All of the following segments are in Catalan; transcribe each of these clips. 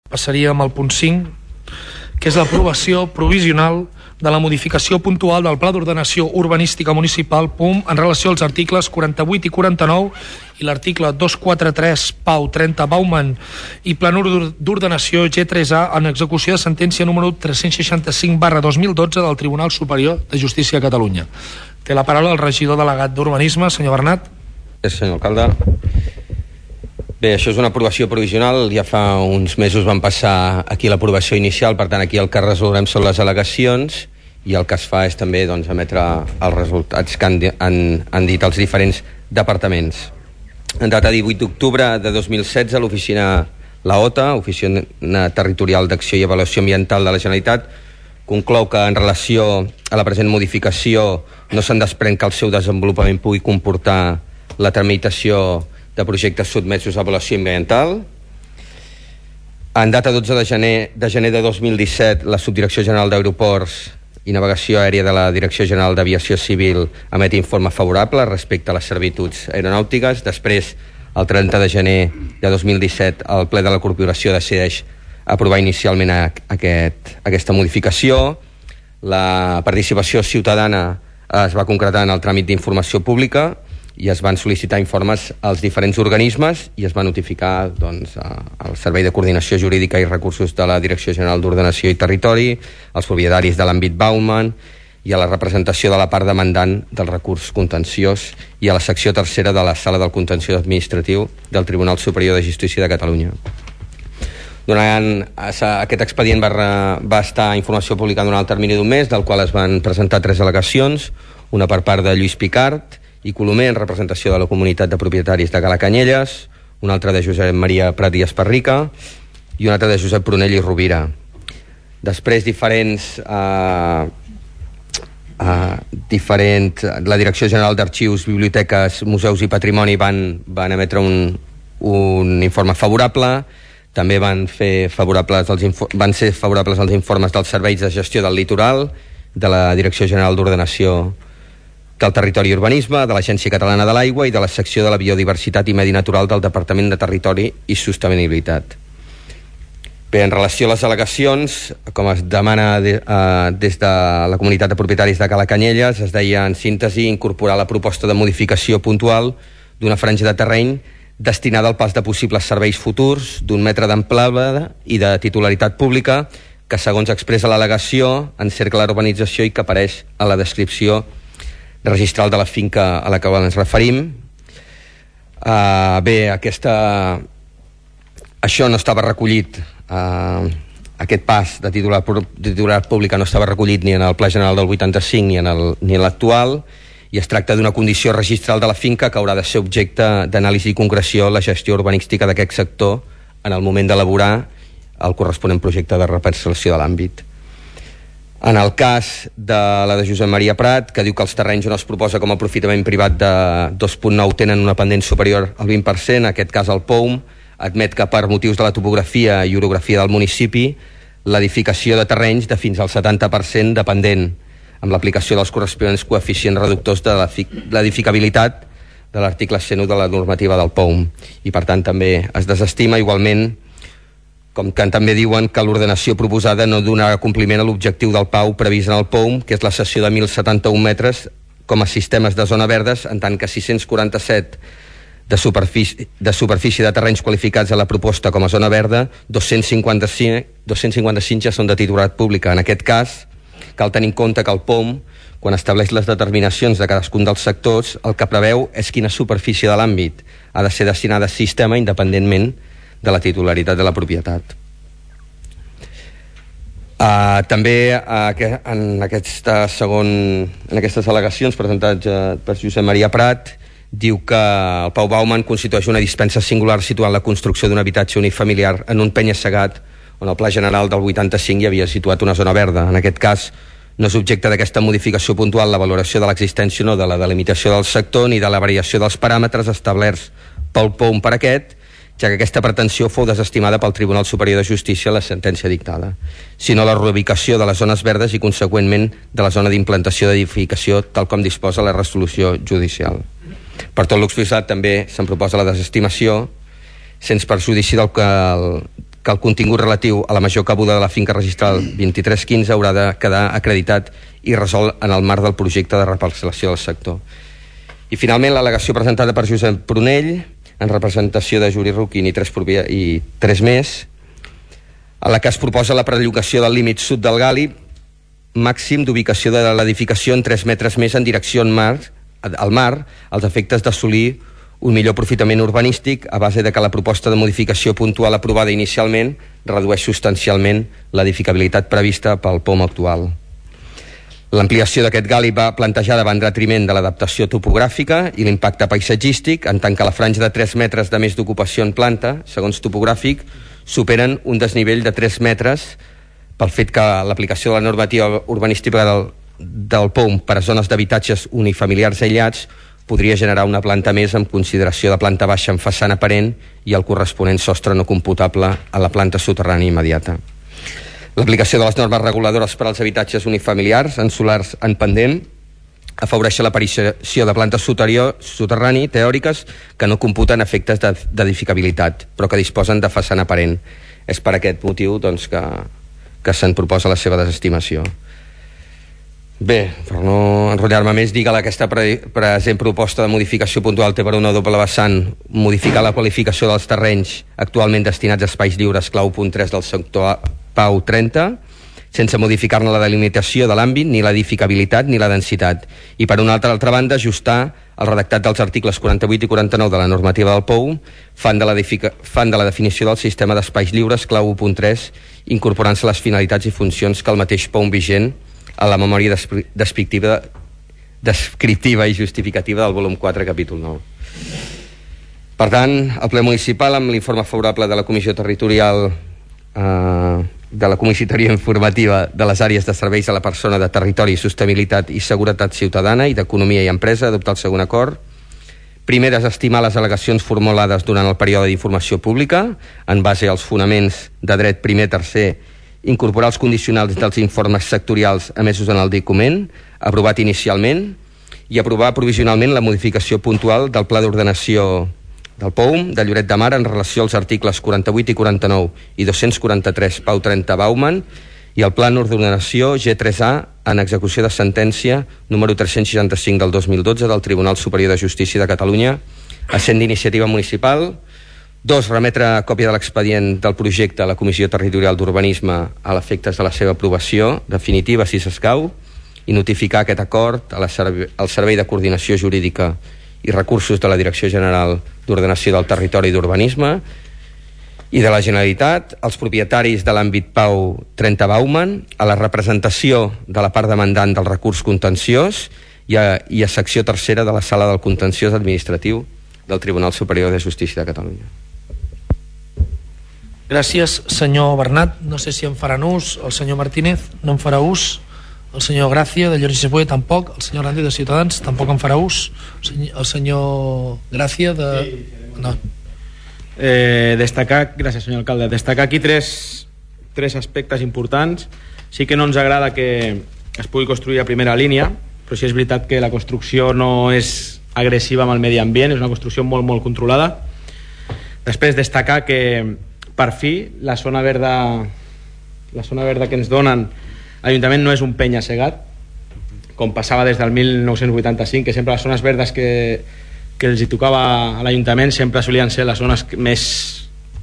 Passaríem al punt 5, que és l'aprovació provisional de la modificació puntual del Pla d'Ordenació Urbanística Municipal PUM en relació als articles 48 i 49 i l'article 243 Pau 30 Bauman i Planur d'Ordenació G3A en execució de sentència número 365/2012 del Tribunal Superior de Justícia de Catalunya. Té la paraula el regidor delegat d'Urbanisme, senyor Bernat. Sí, senyor alcalde. Bé, això és una aprovació provisional, ja fa uns mesos van passar aquí l'aprovació inicial, per tant aquí el que resolem són les al·legacions i el que es fa és també emetre els resultats que han dit els diferents departaments. En data 18 d'octubre de 2016, l'oficina l'OTA, Oficina Territorial d'Acció i Avaluació Ambiental de la Generalitat, conclou que en relació a la present modificació no se'n desprèn que el seu desenvolupament pugui comportar la tramitació de projectes sotmesos a avaluació ambiental. En data 12 de gener de 2017, la Subdirecció General d'Aeroports i Navegació Aèria de la Direcció General d'Aviació Civil emet informe favorable respecte a les servituds aeronàutiques. Després, el 30 de gener de 2017, el ple de la Corporació decideix aprovar inicialment aquesta modificació. La participació ciutadana es va concretar en el tràmit d'informació pública i es van sol·licitar informes als diferents organismes i es va notificar al Servei de Coordinació Jurídica i Recursos de la Direcció General d'Ordenació i Territori, als propietaris de l'àmbit Bauman i a la representació de la part demandant del recurs contenciós i a la secció tercera de la Sala del Contenciós Administratiu del Tribunal Superior de Justícia de Catalunya. Durant aquest expedient va estar informació pública durant el termini d'un mes, del qual es van presentar 3 al·legacions, una per part de Lluís Picart i Colomer en representació de la comunitat de propietaris de Cala Canyelles, una altra de Josep Maria Prat i Esparrica i una altra de Josep Prunell i Rovira. Després la Direcció General d'Arxius, Biblioteques, Museus i Patrimoni van emetre un informe favorable. També van ser favorables els informes dels serveis de gestió del litoral, de la Direcció General d'Ordenació del Territori i Urbanisme, de l'Agència Catalana de l'Aigua i de la secció de la Biodiversitat i Medi Natural del Departament de Territori i Sostenibilitat. Bé, en relació a les al·legacions, com es demana des de la comunitat de propietaris de Cala Canyelles, es deia en síntesi incorporar la proposta de modificació puntual d'una franja de terreny destinada al pas de possibles serveis futurs d'un metre d'amplada i de titularitat pública que, segons expressa l'al·legació, encercla l'urbanització i que apareix a la descripció registral de la finca a la que ens referim. Bé, això no estava recollit, aquest pas de titularitat pública no estava recollit ni en el Pla General del 85 ni en l'actual, i es tracta d'una condició registral de la finca que haurà de ser objecte d'anàlisi i concreció la gestió urbanística d'aquest sector en el moment d'elaborar el corresponent projecte de reparcel·lació de l'àmbit. En el cas de la de Josep Maria Prat, que diu que els terrenys on es proposa com a aprofitament privat de 2.9 tenen una pendent superior al 20%, en aquest cas el POUM admet que per motius de la topografia i orografia del municipi l'edificació de terrenys de fins al 70% de pendent, amb l'aplicació dels corresponents coeficients reductors de l'edificabilitat de l'article 101 de la normativa del POUM, i per tant també es desestima. Igualment, com que també diuen que l'ordenació proposada no donarà compliment a l'objectiu del PAU previst en el POUM, que és la cessió de 1.071 metres com a sistemes de zona verdes, en tant que 647 de superfície de terrenys qualificats a la proposta com a zona verda, 255 ja són de titularitat pública. En aquest cas, cal tenir en compte que el POUM, quan estableix les determinacions de cadascun dels sectors, el que preveu és quina superfície de l'àmbit ha de ser destinada a sistema independentment de la titularitat de la propietat. També en aquestes al·legacions presentades per Josep Maria Prat diu que el Pau Bauman constitueix una dispensa singular situant la construcció d'un habitatge unifamiliar en un penya-segat on el Pla General del 85 hi havia situat una zona verda. En aquest cas no és objecte d'aquesta modificació puntual la valoració de l'existència o no de la delimitació del sector ni de la variació dels paràmetres establerts pel POUM per aquest, ja que aquesta pretensió fou desestimada pel Tribunal Superior de Justícia a la sentència dictada, sinó la reubicació de les zones verdes i, conseqüentment, de la zona d'implantació d'edificació, tal com disposa la resolució judicial. Per tot l'exposat, també se'n proposa la desestimació, sense perjudici del que que el contingut relatiu a la major cabuda de la finca registral 2315 haurà de quedar acreditat i resolt en el marc del projecte de reparcel·lació del sector. I finalment l'al·legació presentada per Josep Prunell en representació de Juli Ruquin i tres més, a la que es proposa la perllongació del límit sud del Gali màxim d'ubicació de l'edificació en 3 metres més en direcció al mar, als efectes d'assolir un millor aprofitament urbanístic a base de que la proposta de modificació puntual aprovada inicialment redueix substancialment l'edificabilitat prevista pel POM actual. L'ampliació d'aquest gali va plantejar davant detriment de l'adaptació topogràfica i l'impacte paisatgístic, en tant que la franja de 3 metres de més d'ocupació en planta, segons topogràfic, superen un desnivell de 3 metres pel fet que l'aplicació de la normativa urbanística del POM per a zones d'habitatges unifamiliars aïllats podria generar una planta més amb consideració de planta baixa en façana aparent i el corresponent sostre no computable a la planta soterrània immediata. L'aplicació de les normes reguladores per als habitatges unifamiliars en solars en pendent afavoreix l'aparició de plantes soterrani teòriques que no computen efectes d'edificabilitat, però que disposen de façana aparent. És per aquest motiu doncs, que se'n proposa la seva desestimació. Bé, per no enrotllar-me més, dir que aquesta present proposta de modificació puntual té per una doble vessant modificar la qualificació dels terrenys actualment destinats a espais lliures clau punt 3 del sector Pau 30, sense modificar-ne la delimitació de l'àmbit, ni l'edificabilitat ni la densitat, i per una altra banda ajustar el redactat dels articles 48 i 49 de la normativa del POU fan de la definició del sistema d'espais lliures clau 1.3, incorporant-se les finalitats i funcions que el mateix POU vigent a la memòria descriptiva i justificativa del volum 4, capítol 9. Per tant, el ple municipal, amb l'informe favorable de la Comissió Territorial de la Comissaria Informativa de les àrees de serveis a la persona de Territori, Sostenibilitat i Seguretat Ciutadana i d'Economia i Empresa, adoptar el següent acord. Primer, desestimar les al·legacions formulades durant el període d'informació pública en base als fonaments de dret primer, tercer, incorporar els condicionals dels informes sectorials emesos en el document, aprovat inicialment, i aprovar provisionalment la modificació puntual del Pla d'Ordenació del POUM de Lloret de Mar en relació als articles 48 i 49 i 243 Pau 30 Bauman i el Pla d'Ordenació G3A en execució de sentència número 365 del 2012 del Tribunal Superior de Justícia de Catalunya, essent d'iniciativa municipal. 2. Remetre còpia de l'expedient del projecte a la Comissió Territorial d'Urbanisme a l'efectes de la seva aprovació definitiva, si s'escau, i notificar aquest acord al Servei de Coordinació Jurídica i Recursos de la Direcció General d'Ordenació del Territori i d'Urbanisme i de la Generalitat, als propietaris de l'àmbit Pau 30 Bauman, a la representació de la part demandant del recurs contenciós i a secció tercera de la Sala del Contenciós Administratiu del Tribunal Superior de Justícia de Catalunya. Gràcies, senyor Bernat. No sé si en faran ús. El senyor Martínez no en farà ús. El senyor Gràcia, de Llorenç i Sepué, tampoc. El senyor Hernández, de Ciutadans, tampoc en farà ús. El senyor Gràcia, de... No. Destacar, gràcies senyor alcalde, destacar aquí tres aspectes importants. Sí que no ens agrada que es pugui construir a primera línia, però sí és veritat que la construcció no és agressiva amb el medi ambient, és una construcció molt, molt controlada. Després destacar que per fi la zona verda que ens donen l'Ajuntament no és un penya-segat, com passava des del 1985, que sempre les zones verdes que els hi tocava a l'Ajuntament sempre solien ser les zones que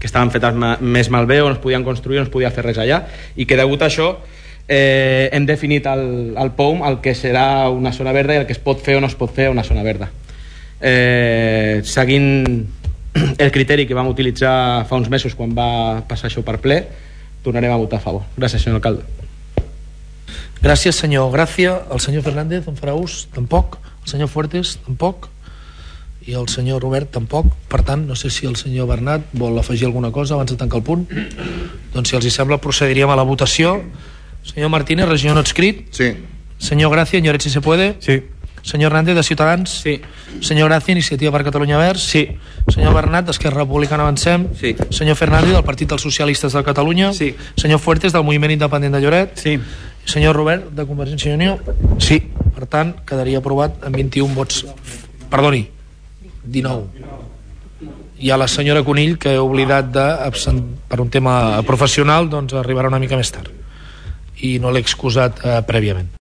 estaven fetes més malbé, on es podien construir, on es podia fer res allà, i que degut a això hem definit al POUM el que serà una zona verda i el que es pot fer o no es pot fer a una zona verda. Seguint el criteri que vam utilitzar fa uns mesos quan va passar això per ple, tornarem a votar a favor. Gràcies, senyor alcalde. Gràcies, senyor Gràcia. El senyor Fernández en farà ús? Tampoc. El senyor Fuertes? Tampoc. I el senyor Robert tampoc. Per tant, no sé si el senyor Bernat vol afegir alguna cosa abans de tancar el punt. Doncs si els hi sembla procediríem a la votació. Senyor Martínez, regidor no adscrit? Sí. Senyor Gràcia, Lloret, si se puede? Sí. Senyor Hernández, de Ciutadans? Sí. Senyor Gràcia, Iniciativa per Catalunya Verds? Sí. Senyor Bernat, d'Esquerra Republicana Avancem? Sí. Senyor Fernández, del Partit dels Socialistes de Catalunya? Sí. Senyor Fuertes, del Moviment Independent de Lloret? Sí. Senyor Robert, de Convergència i Unió? Sí. Per tant, quedaria aprovat amb 21 vots... Perdoni, 19. hi ha la senyora Conill, que he oblidat per un tema professional, doncs arribarà una mica més tard i no l'he excusat prèviament.